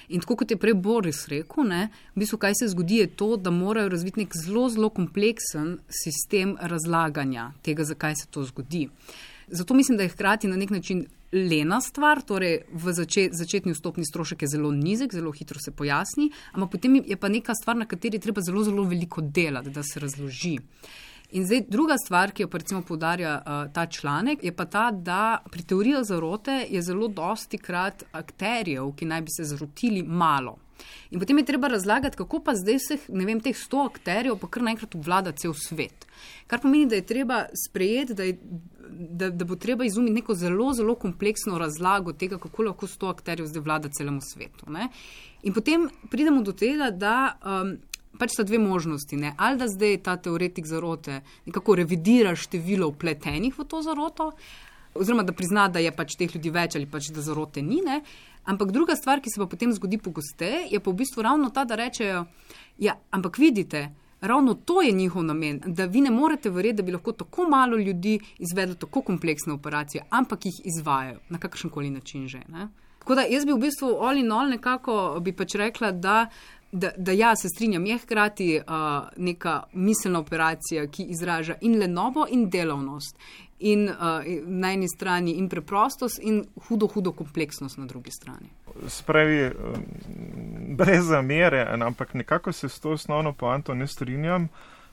In tako kot je prej Boris rekel, v bistvu kaj se zgodi je to, da morajo razviti nek zelo, zelo kompleksen sistem razlaganja tega, zakaj se to zgodi. Zato mislim, da je hkrati na nek način lena stvar, torej v začetni vstopni strošek je zelo nizek, zelo hitro se pojasni, ampak potem je pa neka stvar, na kateri treba zelo, zelo veliko delati, da se razloži. In zdaj druga stvar, ki jo pa recimo poudarja ta članek, je pa ta, da pri teorijah zarote je zelo dosti krat akterjev, ki naj bi se zarotili, malo. In potem je treba razlagati, kako pa zdaj vseh, ne vem, teh 100 akterjev pa kar naenkrat obvlada cel svet. Kar pomeni, da je treba sprejeti, da bo treba izumiti neko zelo, zelo kompleksno razlago tega, kako lahko 100 akterjev zdaj vlada celemu svetu. In potem pridemo do tega, da pač sta 2 možnosti. Ali da zdaj ta teoretik zarote nekako revidira število vpletenih v to zaroto, oziroma da prizna, da je pač teh ljudi več ali pač da zarote ni. Ampak druga stvar, ki se pa potem zgodi pogosteje, je pa v bistvu ravno ta, da rečejo, ja, ampak vidite, ravno to je njihov namen, da vi ne morete verjeti, da bi lahko tako malo ljudi izvedlo tako kompleksne operacije, ampak jih izvajajo na kakršenkoli način že. Tako da jaz bi v bistvu all in all nekako bi pač rekla, da ja, se strinjam, je hkrati neka miselna operacija, ki izraža in lenobo in delovnost. In na eni strani in preprostost in hudo kompleksnost na drugi strani. Spravi, brez zamere, ampak nekako se s to osnovno poanto ne strinjam.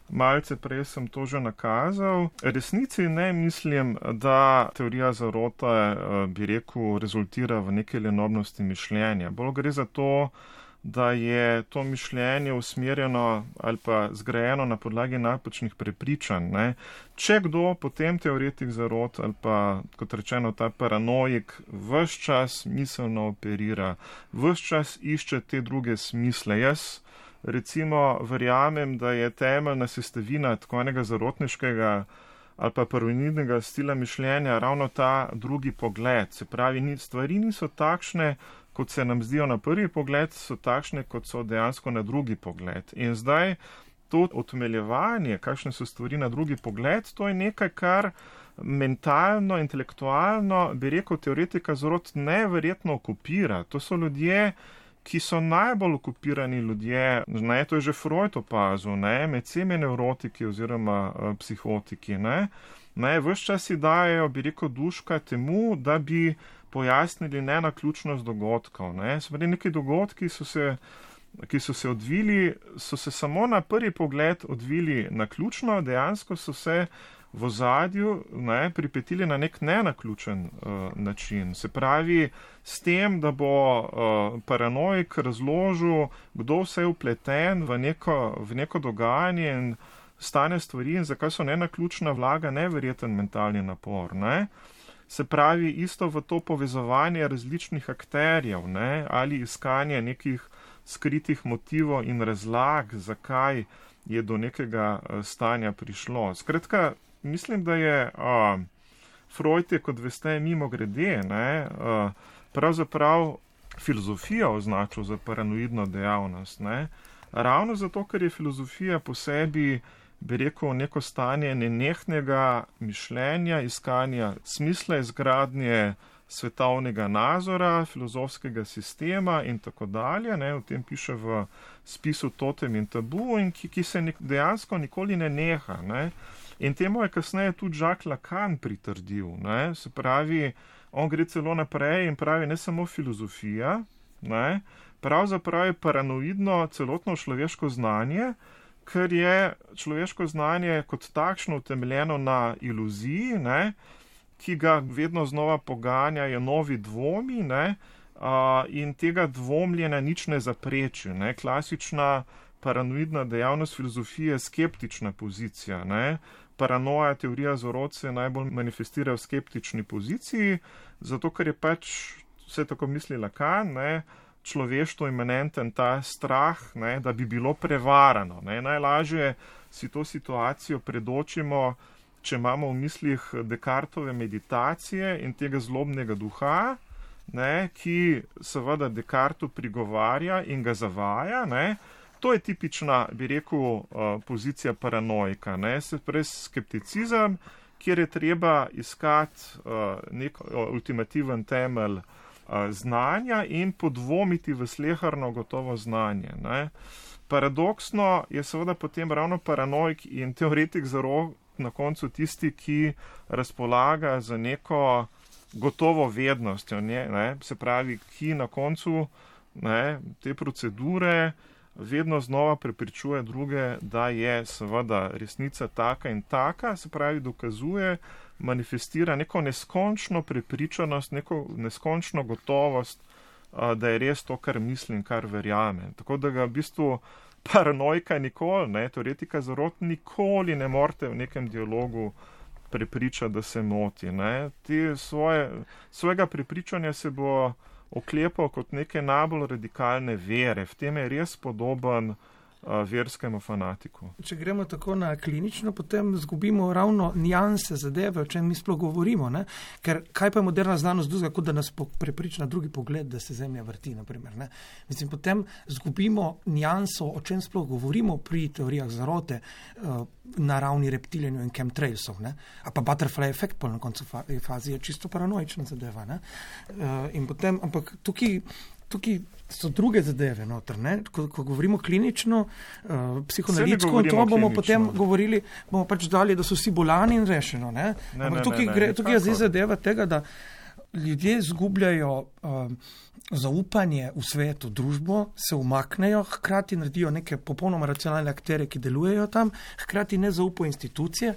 Malce prej sem to že nakazal. Resnici ne mislim, da teorija zarote, bi rekel, rezultira v neke lenobnosti mišljenja. Bolj gre za to, da je to mišljenje usmerjeno ali pa zgrajeno na podlagi napačnih prepričanj. Ne. Če kdo, potem teoretik zarot ali pa, kot rečeno, ta paranoik ves čas miselno operira, ves čas išče te druge smisle. Jaz recimo verjamem, da je temeljna sestavina tako enega zarotniškega ali pa paranoidnega stila mišljenja ravno ta drugi pogled. Se pravi, stvari niso takšne, kot se nam zdijo na prvi pogled, so takšne, kot so dejansko na drugi pogled. In zdaj to utemeljevanje, kakšne so stvari na drugi pogled, to je nekaj, kar mentalno, intelektualno, bi rekel, teoretika zarot neverjetno okupira. To so ljudje, ki so najbolj okupirani ljudje, ne, to je že Freud opazil, ne, med vsemi nevrotiki oziroma psihotiki, ne, ves čas si dajejo, bi rekel, duška temu, da bi pojasnili nenaključnost dogodkov, ne, seveda neki dogodki ki so se odvili, so se samo na prvi pogled odvili naključno, dejansko so se v ozadju pripetili na nek nenaključen način. Se pravi, s tem, da bo paranoik razložil, kdo vse je vpleten v neko dogajanje in stane stvari in zakaj so nenaključna, vlaga neverjeten mentalni napor. Ne? Se pravi, isto v to povezovanje različnih akterjev, ne? Ali iskanje nekih skritih motivov in razlag, zakaj je do nekega stanja prišlo. Skratka, mislim, da je Freud je, kot veste, mimo grede, pravzaprav filozofijo označil za paranoidno dejavnost. Ne? Ravno zato, ker je filozofija po sebi, bi rekel, neko stanje nenehnega mišljenja, iskanja smisla, izgradnje svetovnega nazora, filozofskega sistema in tako dalje. Ne? O tem piše v spisu Totem in tabu in ki se dejansko nikoli ne neha. Ne? In temu je kasneje tudi Jacques Lacan pritrdil. Ne? Se pravi, on gre celo naprej in pravi, ne samo filozofija, ne? Pravzaprav je paranoidno celotno človeško znanje, ker je človeško znanje kot takšno utemeljeno na iluziji, ne? Ki ga vedno znova poganjajo novi dvomi, ne? In tega dvomljenja nič ne zapreči. Ne? Klasična paranoidna dejavnost filozofije je skeptična pozicija. Ne? Paranoja, teorija zarot se najbolj manifestira v skeptični poziciji, zato ker je pač, vse tako misli Lacan, ne, človeštvo imanenten ta strah, ne, da bi bilo prevarano. Ne. Najlažje si to situacijo predočimo, če imamo v mislih Descartove meditacije in tega zlobnega duha, ne, ki seveda Descartu prigovarja in ga zavaja, ne. To je tipična, bi rekel, pozicija paranoika, ne, se pravi skepticizem, kjer je treba iskati nek ultimativen temelj znanja in podvomiti v sleherno gotovo znanje. Ne. Paradoksno je seveda potem ravno paranoik in teoretik zarot na koncu tisti, ki razpolaga za neko gotovo vednostjo, ne, se pravi, ki na koncu, ne, te procedure vedno znova prepričuje druge, da je seveda resnica taka in taka, se pravi, dokazuje, manifestira neko neskončno prepričanost, neko neskončno gotovost, da je res to, kar mislim, kar verjamem. Tako da ga v bistvu paranoika nikoli, ne, teoretika zarot nikoli ne morete v nekem dialogu prepričati, da se moti. Ne. Svojega prepričanja se bo oklepal kot neke najbolj radikalne vere. V tem je res podoben verskemu fanatiku. Če gremo tako na klinično, potem zgubimo ravno nijanse zadeve, o čem mi sploh govorimo. Ne? Ker kaj pa je moderna znanost drugega, kot da nas prepriča na drugi pogled, da se Zemlja vrti, naprimer. Ne? Mislim, potem zgubimo nijanso, o čem sploh govorimo pri teorijah zarote na ravni reptilijanju in chemtrailsov. Ne? A pa butterfly efekt na koncu fazi je čisto paranoična zadeva. Ne? In potem, ampak tukaj so druge zadeve noter, ne? Ko govorimo klinično, psihoanalitsko, to bomo potem govorili, bomo pač dali, da so vsi bolani in rešeno. Ne? Ampak tukaj je zdaj zadeva tega, da ljudje zgubljajo zaupanje v svet, v družbo, se umaknejo, hkrati naredijo neke popolnoma racionalne akterje, ki delujejo tam, hkrati ne zaupajo institucije.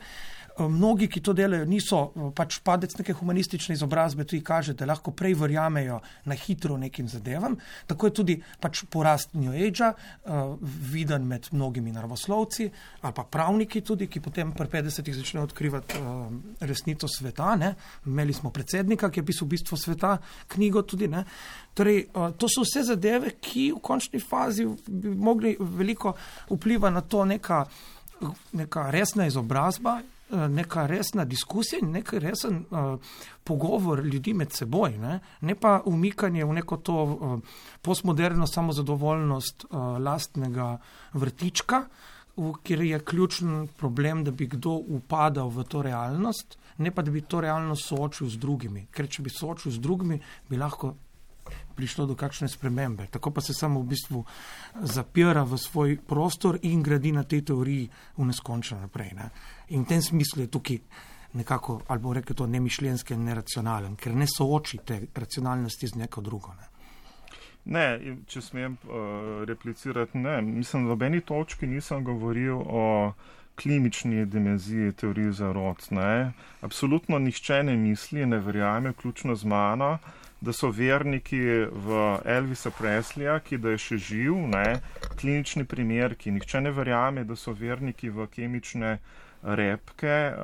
Mnogi, ki to delajo, niso pač padec neke humanistične izobrazbe, tudi kaže, da lahko prej verjamejo na hitro nekim zadevam. Tako je tudi pač porast New Age-a viden med mnogimi naravoslovci ali pa pravniki tudi, ki potem pri 50-ih začnejo odkrivati resnico sveta. Ne? Imeli smo predsednika, ki je pisal Bistvo sveta, knjigo tudi. Ne? Torej, to so vse zadeve, ki v končni fazi bi mogli veliko vpliva na to neka resna izobrazba, neka resna diskusija in nek resen pogovor ljudi med seboj, ne pa umikanje v neko to postmoderno samozadovoljnost lastnega vrtička, kjer je ključen problem, da bi kdo upadal v to realnost, ne pa da bi to realnost soočil z drugimi. Ker če bi soočil z drugimi, bi lahko prišlo do kakšne spremembe. Tako pa se samo v bistvu zapira v svoj prostor in gradi na tej teoriji v neskončno naprej. Ne? In v tem smislu je tukaj nekako, ali bo rekel to, nemišljenski in neracionalen, ker ne sooči te racionalnosti z neko drugo. Ne, če smem replicirati, ne. Mislim, v nobeni točki nisem govoril o klinični dimenziji teorije zarot. Ne. Absolutno nihče ne misli, ne verjame, vključno z mano, da so verniki v Elvisa Presleya, ki da je še živ, ne, klinični primerki. Nihče ne verjame, da so verniki v kemične repke,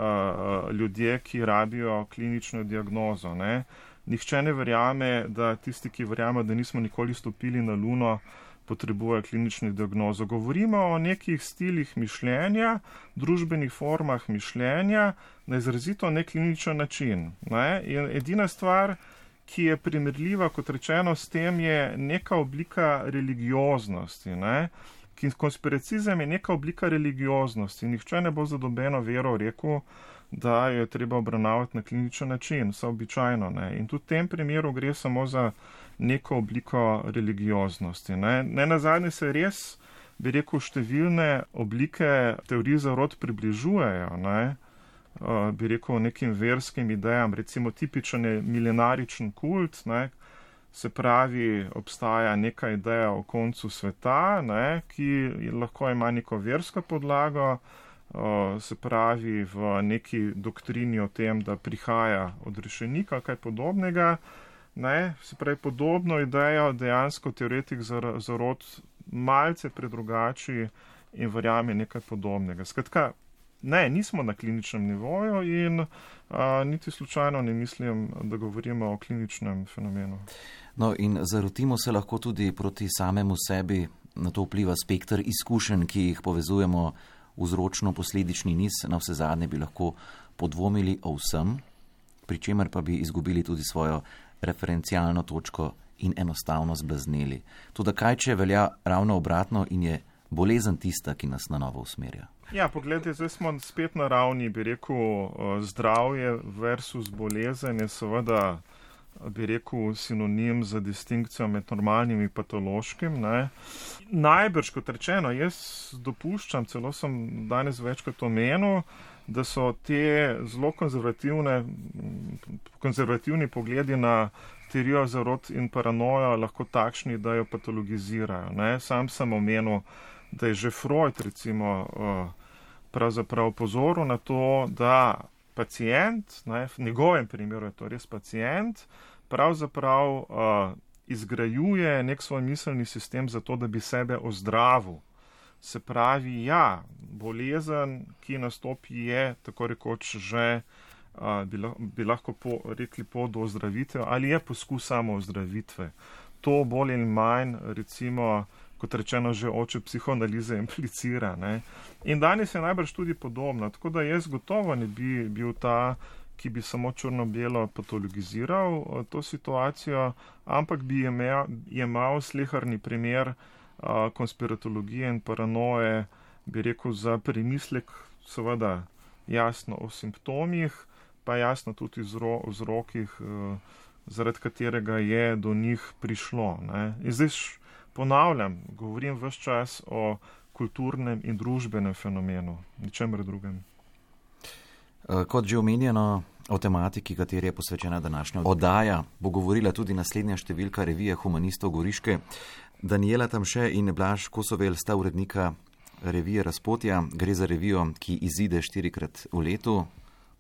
ljudje, ki rabijo klinično diagnozo. Ne. Nihče ne verjame, da tisti, ki verjame, da nismo nikoli stopili na Luno, potrebujejo klinično diagnozo. Govorimo o nekih stilih mišljenja, družbenih formah mišljenja na izrazito nekliničen način. Ne. In edina stvar, ki je primerljiva, kot rečeno, s tem je neka oblika religioznosti. Ne? Konspiracizem je neka oblika religioznosti. Nihče ne bo za nobeno vero rekel, da jo je treba obravnavati na kliničen način, vse običajno. Ne? In tudi v tem primeru gre samo za neko obliko religioznosti. Ne nazadnje se res, bi rekel, številne oblike teorij zarot približujejo, ne? Bi rekel, nekim verskim idejam, recimo tipičen je milenaričen kult, ne, se pravi, obstaja neka ideja o koncu sveta, ne, ki lahko ima neko versko podlago, se pravi v neki doktrini o tem, da prihaja odrešenik ali kaj podobnega, ne, se pravi, podobno idejo dejansko teoretik zarot malce predrugači in verjame nekaj podobnega. Skratka, ne, nismo na kliničnem nivoju in niti slučajno ne mislim, da govorimo o kliničnem fenomenu. No in zarotimo se lahko tudi proti samemu sebi, na to vpliva spekter izkušenj, ki jih povezujemo vzročno-posledični niz, na vse zadnje bi lahko podvomili o vsem, pri čemer pa bi izgubili tudi svojo referencialno točko in enostavno zblazneli. Toda kaj, če velja ravno obratno in je bolezen tista, ki nas na novo usmerja? Ja, pogledajte, zdaj smo spet na ravni, bi rekel, zdravje versus bolezen je seveda, bi rekel, sinonim za distinkcijo med normalnim in patološkim. Ne. Najbrž, kot rečeno, jaz dopuščam, celo sem danes večkrat omenil, da so te zelo konzervativni pogledi na teorijo zarot in paranojo lahko takšni, da jo patologizirajo. Ne. Sam sem omenil, da je že Freud, recimo, pravzaprav pozoril na to, da pacient, ne, v njegovem primeru je to res pacient, pravzaprav izgrajuje nek svoj miselni sistem za to, da bi sebe ozdravil. Se pravi, ja, bolezen, ki nastopi, je tako rekoč že, bi lahko rekli pot do ozdravitve, ali je poskus samo ozdravitve. To bolj in manj, recimo, kot rečeno, že oče psihoanalize implicira. Ne? In danes je najbrž tudi podobno. Tako da jaz gotovo ne bi bil ta, ki bi samo črno-belo patologiziral to situacijo, ampak bi imel sleherni primer konspiratologije in paranoje, bi rekel, za premislek, seveda jasno o simptomih, pa jasno tudi vzrokih, zaradi katerega je do njih prišlo. Ne? In zdaj ponavljam, govorim ves čas o kulturnem in družbenem fenomenu, ničemer drugem. Kot že omenjeno, o tematiki, kateri je posvečena današnja oddaja, bo govorila tudi naslednja številka revije Humanistov Goriške. Daniela Tamše in Blaž Kosovel sta urednika revije Razpotja. Gre za revijo, ki izide 4-krat v letu.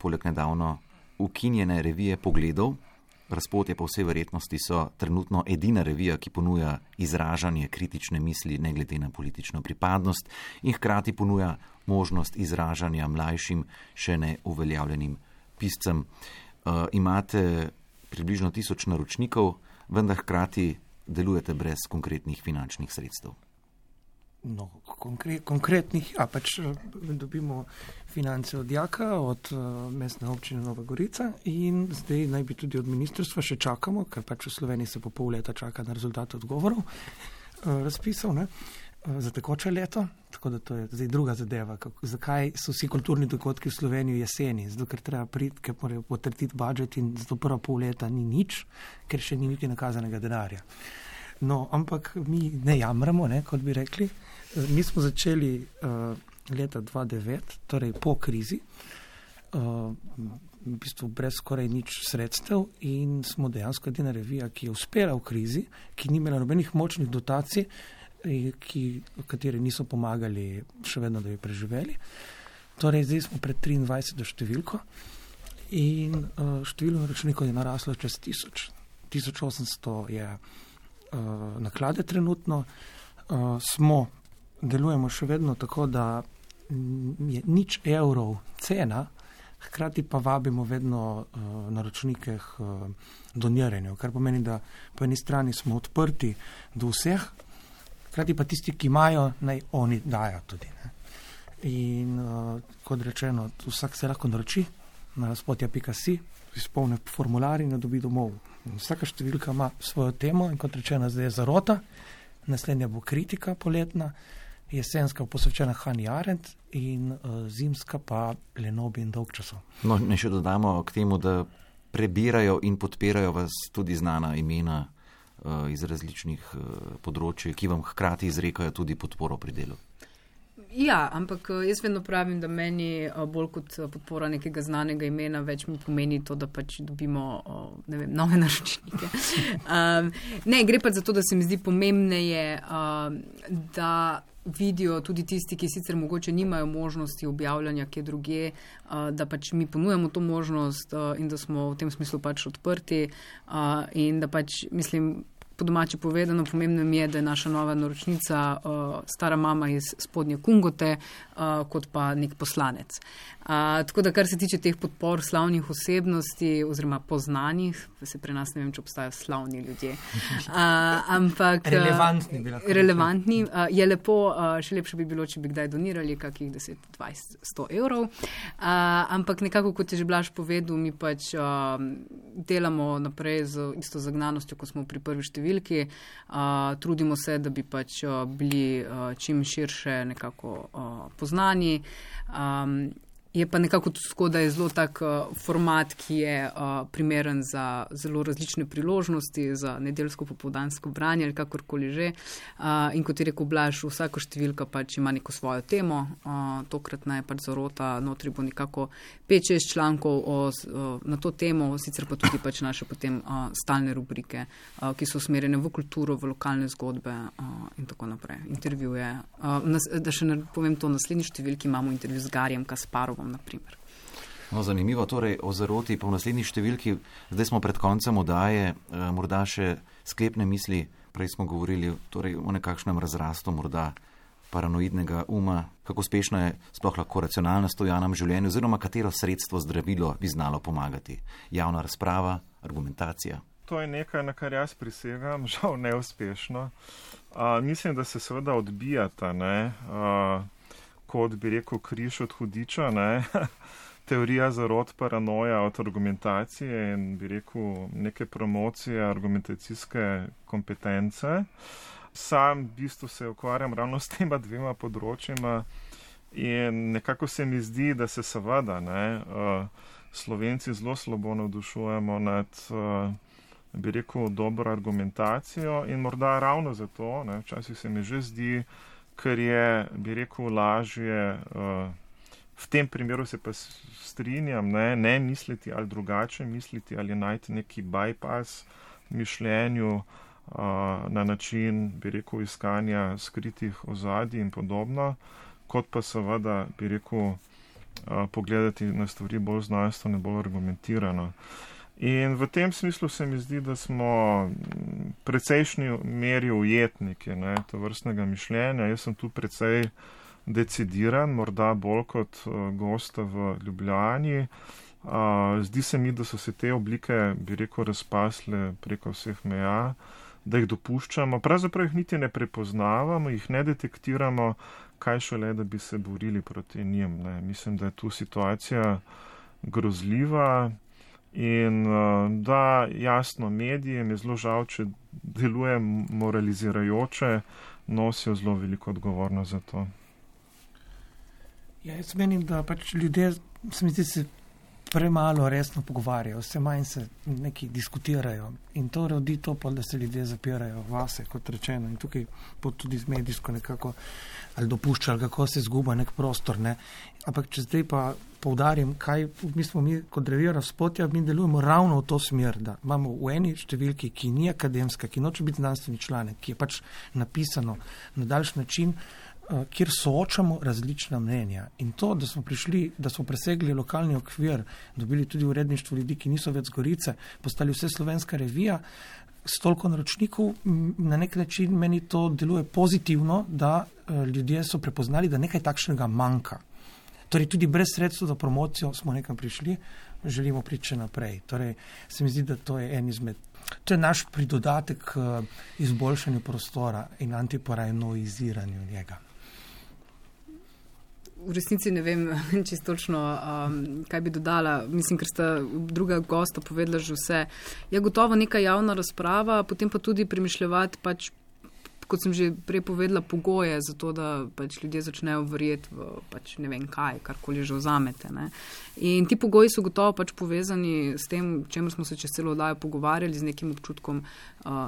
poleg nedavno ukinjene revije Pogledov. Razpod je po vsej verjetnosti so trenutno edina revija, ki ponuja izražanje kritične misli ne glede na politično pripadnost in hkrati ponuja možnost izražanja mlajšim, še ne uveljavljenim piscem. Imate približno 1000 naročnikov, vendar hkrati delujete brez konkretnih finančnih sredstev. No, konkretnih, pač dobimo finance od Jaka, od mestne občine Nova Gorica in zdaj naj bi tudi od ministrstva še čakamo, ker pač v Sloveniji se po pol leta čaka na rezultat odgovorov razpisov, ne, za tekoče leto, tako da to je zdaj druga zadeva. Zakaj so vsi kulturni dogodki v Sloveniji jeseni? Zato, ker treba priti, ker morajo potrditi budžet in zato prva pol leta ni nič, ker še ni niti nakazanega denarja. No, ampak mi ne jamramo, ne, kot bi rekli. Mi smo začeli leta 2009, torej po krizi, v bistvu brez skoraj nič sredstev in smo dejansko edina revija, ki je uspela v krizi, ki ni imela nobenih močnih dotacij, kateri niso pomagali še vedno, da bi preživeli. Torej, zdaj smo pred 23 številko in število naročnikov je naraslo čez 1000. 1800 je naklade trenutno. Delujemo še vedno tako, da je nič evrov cena, hkrati pa vabimo vedno naročnike k doniranju, kar pomeni, da po eni strani smo odprti do vseh, hkrati pa tisti, ki imajo, naj oni dajo tudi. Ne. In kot rečeno, vsak se lahko naroči na razpotja.si, izpolni formular in jo dobi domov. Vsaka številka ima svojo temo in kot rečeno, zdaj je zarota, naslednja bo kritika poletna, jesenska posvečena Hannah Arendt in zimska pa Lenobi in Dolgčasov. No, ne še dodamo k temu, da prebirajo in podpirajo vas tudi znana imena iz različnih področij, ki vam hkrati izrekajo tudi podporo pri delu. Ja, ampak jaz vedno pravim, da meni bolj kot podpora nekega znanega imena več mi pomeni to, da pač dobimo nove naročnike. Ne, gre pa za to, da se mi zdi pomembneje, da vidijo tudi tisti, ki sicer mogoče nimajo možnosti objavljanja kje druge, da pač mi ponujamo to možnost in da smo v tem smislu pač odprti in da pač mislim, po domače povedano, pomembno mi je, da je naša nova naročnica stara mama iz Spodnje Kungote, kot pa nek poslanec. Tako da, kar se tiče teh podpor slavnih osebnosti oziroma poznanih, se pri nas ne vem, če obstajajo slavni ljudje, ampak relevantni, je lepo, še lepše bi bilo, če bi kdaj donirali kakih 10, 20, 100 evrov, ampak nekako, kot je že Blaž povedal, mi pač delamo naprej z isto zagnanostjo, ko smo pri prvi številki, trudimo se, da bi pač bili čim širše nekako poznani. Je pa nekako tudi tako, da je zelo tak format, ki je primeren za zelo različne priložnosti, za nedeljsko popoldansko branje ali kakorkoli že. In kot je rekel Blaž, vsaka številka pač ima neko svojo temo. Tokratna je pač zarota, notri bo nekako 5-6 člankov na to temo, sicer pa tudi pač naše potem stalne rubrike, ki so usmerjene v kulturo, v lokalne zgodbe in tako naprej. Intervjuje. Da še povem to, v naslednji številki imamo intervju z Garjem Kasparovom, naprimer. No, zanimivo, torej o zaroti pa v naslednji številki, zdaj smo pred koncem oddaje, morda še sklepne misli, prej smo govorili torej o nekakšnem razrastu morda paranoidnega uma, kako uspešno je sploh lahko racionalnost v javnem življenju, oziroma katero sredstvo, zdravilo bi znalo pomagati. Javna razprava, argumentacija. To je nekaj, na kar jaz prisegam, žal neuspešno. Mislim, da se seveda odbijata, kot bi rekel križ od hudiča, teorija zarot, paranoja od argumentacije in bi rekel neke promocije argumentacijske kompetence. Sam v bistvu se ukvarjam ravno s tema dvema področjima in nekako se mi zdi, da se seveda Slovenci zelo slabo navdušujemo nad bi rekel dobro argumentacijo in morda ravno zato, včasih se mi že zdi, ker je, bi rekel, lažje, v tem primeru se pa strinjam, ne misliti ali drugače misliti ali najti neki bypass mišljenju na način, bi rekel, iskanja skritih ozadij in podobno, kot pa seveda, bi rekel, pogledati na stvari bolj znanstveno, bolj argumentirano. In v tem smislu se mi zdi, da smo precejšnji meri ujetniki to vrstnega mišljenja. Jaz sem tu precej decidiran, morda bolj kot gosta v Ljubljani. Zdi se mi, da so se te oblike, bi rekel, razpasle preko vseh meja, da jih dopuščamo. Pravzaprav jih niti ne prepoznavamo, jih ne detektiramo, kaj šele, da bi se borili proti njim. Mislim, da je tu situacija grozljiva. In da, jasno, medijem je zelo žal, če deluje moralizirajoče, nosijo zelo veliko odgovornost za to. Ja, jaz menim, da pač ljudje, se mi zdi, se premalo resno pogovarjajo, vse manj se neki diskutirajo in to rodi to, da se ljudje zapirajo vase, kot rečeno, in tukaj tudi z medijsko nekako ali dopušča, ali kako se zguba nek prostor, ne. Ampak če zdaj pa poudarim, kaj mi kot Revija Razpotja, mi delujemo ravno v to smer, da imamo v eni številki, ki ni akademska, ki noče biti znanstveni članek, ki je pač napisano na daljši način, kjer soočamo različna mnenja. In to, da smo prišli, da smo presegli lokalni okvir, dobili tudi uredništvo ljudi, ki niso več z Gorice, postali vse slovenska revija, s toliko naročnikov, na nek način meni to deluje pozitivno, da ljudje so prepoznali, da nekaj takšnega manjka. Torej, tudi brez sredstva za promocijo smo nekam prišli, želimo priti še naprej. Torej, se mi zdi, da to je to je naš pridodatek k izboljšanju prostora in antiparanoiziranju njega. V resnici ne vem čisto točno, kaj bi dodala. Mislim, ker sta druga gosta povedala že vse. Je gotovo neka javna razprava, potem pa tudi premišljevati pač, kot sem že prej povedala, pogoje za to, da pač ljudje začnejo verjeti v pač ne vem kaj, karkoli že vzamete. Ne. In ti pogoji so gotovo pač povezani s tem, čemer smo se čez celo oddajo pogovarjali, z nekim občutkom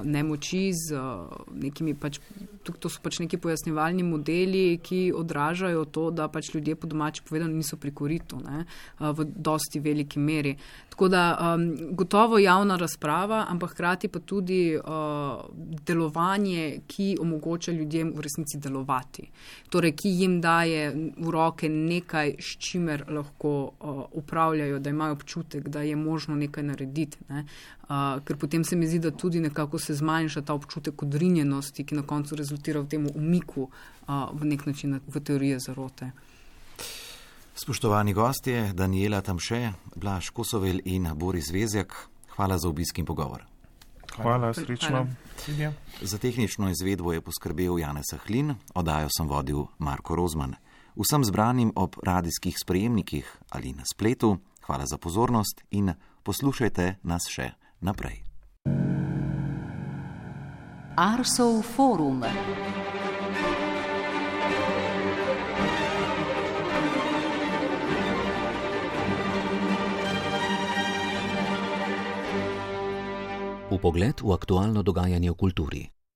nemoči, z nekimi pač, to so pač neki pojasnjevalni modeli, ki odražajo to, da pač ljudje po domači povedano niso pri koritu, ne, v dosti veliki meri. Tako da gotovo javna razprava, ampak hkrati pa tudi delovanje, ki omogoča ljudem v resnici delovati. Torej, ki jim daje v roke nekaj, s čimer lahko upravljajo, da imajo občutek, da je možno nekaj narediti. Ne. Ker potem se mi zdi, da tudi nekako se zmanjša ta občutek odrinjenosti, ki na koncu rezultira v tem umiku v nek način v teorije zarote. Spoštovani gostje, Danijela Tamše, Blaž Kosovel in Boris Vezjak, hvala za obisk in pogovor. Hvala, srečno. Za tehnično izvedbo je poskrbel Janez Sahlin, oddajo sem vodil Marko Rozman. Vsem zbranim ob radijskih sprejemnikih ali na spletu, hvala za pozornost in poslušajte nas še naprej. Arsov forum. Vpogled v aktualno dogajanje v kulturi.